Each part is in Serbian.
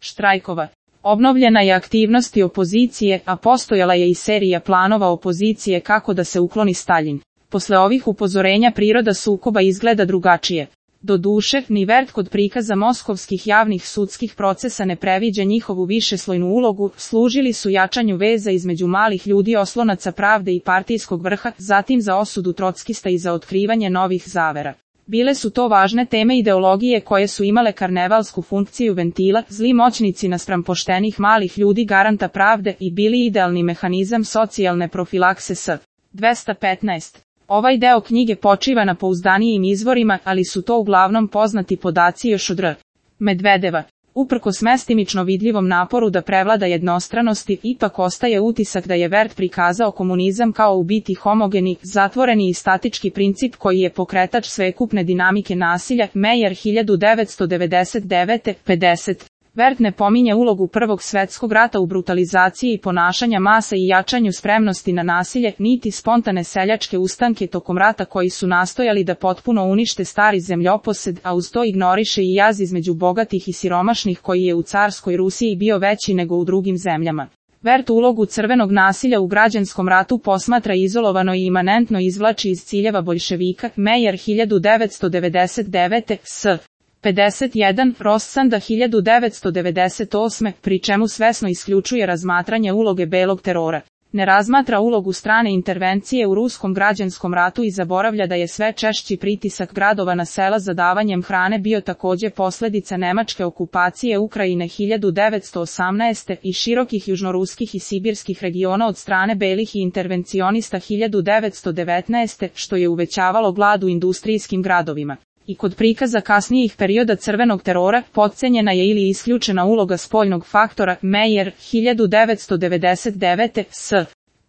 štrajkova. Obnovljena je aktivnost i opozicije, a postojala je i serija planova opozicije kako da se ukloni Staljin. Posle ovih upozorenja priroda sukoba izgleda drugačije. Doduše, ni Vert kod prikaza moskovskih javnih sudskih procesa ne previđa njihovu višeslojnu ulogu, služili su jačanju veza između malih ljudi oslonaca pravde i partijskog vrha, zatim za osudu trockista i za otkrivanje novih zavera. Bile su to važne teme ideologije koje su imale karnevalsku funkciju ventila, zli moćnici naspram poštenih malih ljudi garanta pravde i bili idealni mehanizam socijalne profilakse s. 215. Ovaj deo knjige počiva na pouzdanijim izvorima, ali su to uglavnom poznati podaci još od R. Medvedeva. Uprkos mestimično vidljivom naporu da prevlada jednostranosti, ipak ostaje utisak da je Vert prikazao komunizam kao u biti homogeni, zatvoreni i statički princip koji je pokretač svekupne dinamike nasilja. Meyer 1999. 50. Vert ne pominje ulogu Prvog svetskog rata u brutalizaciji i ponašanja masa i jačanju spremnosti na nasilje, niti spontane seljačke ustanke tokom rata koji su nastojali da potpuno unište stari zemljoposed, a uz to ignoriše i jaz između bogatih i siromašnih koji je u carskoj Rusiji bio veći nego u drugim zemljama. Vert ulogu crvenog nasilja u građanskom ratu posmatra izolovano i imanentno izvlači iz ciljeva boljševika. Meyer 1999. s. 51. Rossanda 1998. pri čemu svesno isključuje razmatranje uloge belog terora. Ne razmatra ulogu strane intervencije u ruskom građanskom ratu i zaboravlja da je sve češći pritisak gradova na sela za davanjem hrane bio takođe posljedica nemačke okupacije Ukrajine 1918. i širokih južnoruskih i sibirskih regiona od strane belih i intervencionista 1919. što je uvećavalo glad u industrijskim gradovima. I kod prikaza kasnijih perioda crvenog terora, potcenjena je ili isključena uloga spoljnog faktora. Meyer 1999. s.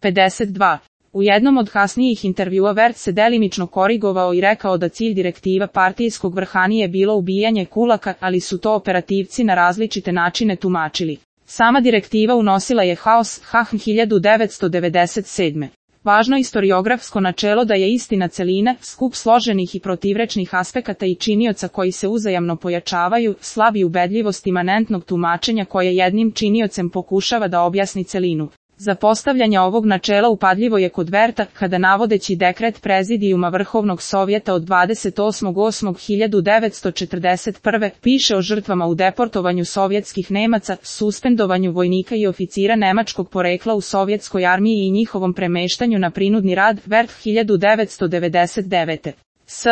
52. U jednom od kasnijih intervjua Vert se delimično korigovao i rekao da cilj direktiva partijskog vrha nije bilo ubijanje kulaka, ali su to operativci na različite načine tumačili. Sama direktiva unosila je haos. Hahn 1997. Važno istoriografsko načelo da je istina celina, skup složenih i protivrečnih aspekata i činioca koji se uzajamno pojačavaju, slabi ubedljivost imanentnog tumačenja koje jednim činiocem pokušava da objasni celinu. Za postavljanje ovog načela upadljivo je kod Verta, kada navodeći dekret Prezidijuma Vrhovnog sovjeta od 28.8.1941. piše o žrtvama u deportovanju sovjetskih Nemaca, suspendovanju vojnika i oficira nemačkog porekla u sovjetskoj armiji i njihovom premeštanju na prinudni rad. Vert 1999. s.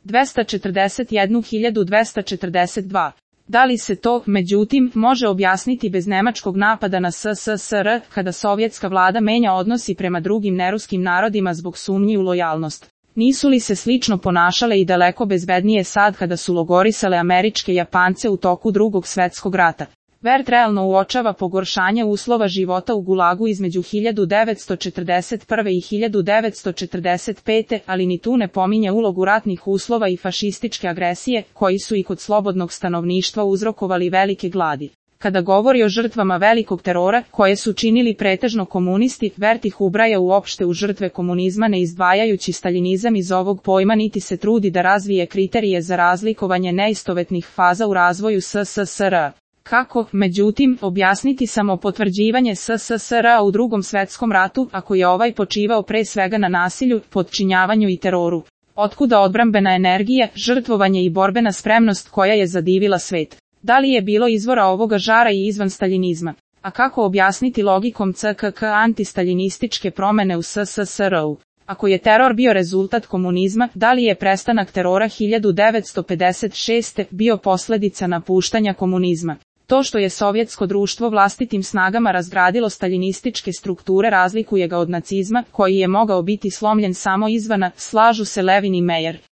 241.242. Da li se to, međutim, može objasniti bez nemačkog napada na SSSR, kada sovjetska vlada menja odnosi prema drugim neruskim narodima zbog sumnji u lojalnost? Nisu li se slično ponašale i daleko bezbednije sad kada su logorisale američke Japance u toku Drugog svetskog rata? Vert realno uočava pogoršanje uslova života u Gulagu između 1941. i 1945. ali ni tu ne pominje ulogu ratnih uslova i fašističke agresije, koji su i kod slobodnog stanovništva uzrokovali velike gladi. Kada govori o žrtvama velikog terora, koje su činili pretežno komunisti, Vert ih ubraja uopšte u žrtve komunizma ne izdvajajući staljinizam iz ovog pojma niti se trudi da razvije kriterije za razlikovanje neistovetnih faza u razvoju SSSR. Kako, međutim, objasniti samo potvrđivanje SSSR-a u Drugom svetskom ratu, ako je ovaj počivao pre svega na nasilju, podčinjavanju i teroru? Otkuda odbrambena energija, žrtvovanje i borbena spremnost koja je zadivila svet? Da li je bilo izvora ovoga žara i izvan staljinizma? A kako objasniti logikom CKK antistaljinističke promene u SSSR-u? Ako je teror bio rezultat komunizma, da li je prestanak terora 1956. bio posljedica napuštanja komunizma? To što je sovjetsko društvo vlastitim snagama razgradilo staljinističke strukture razlikuje ga od nacizma, koji je mogao biti slomljen samo izvana, slažu se Levin i Meyer.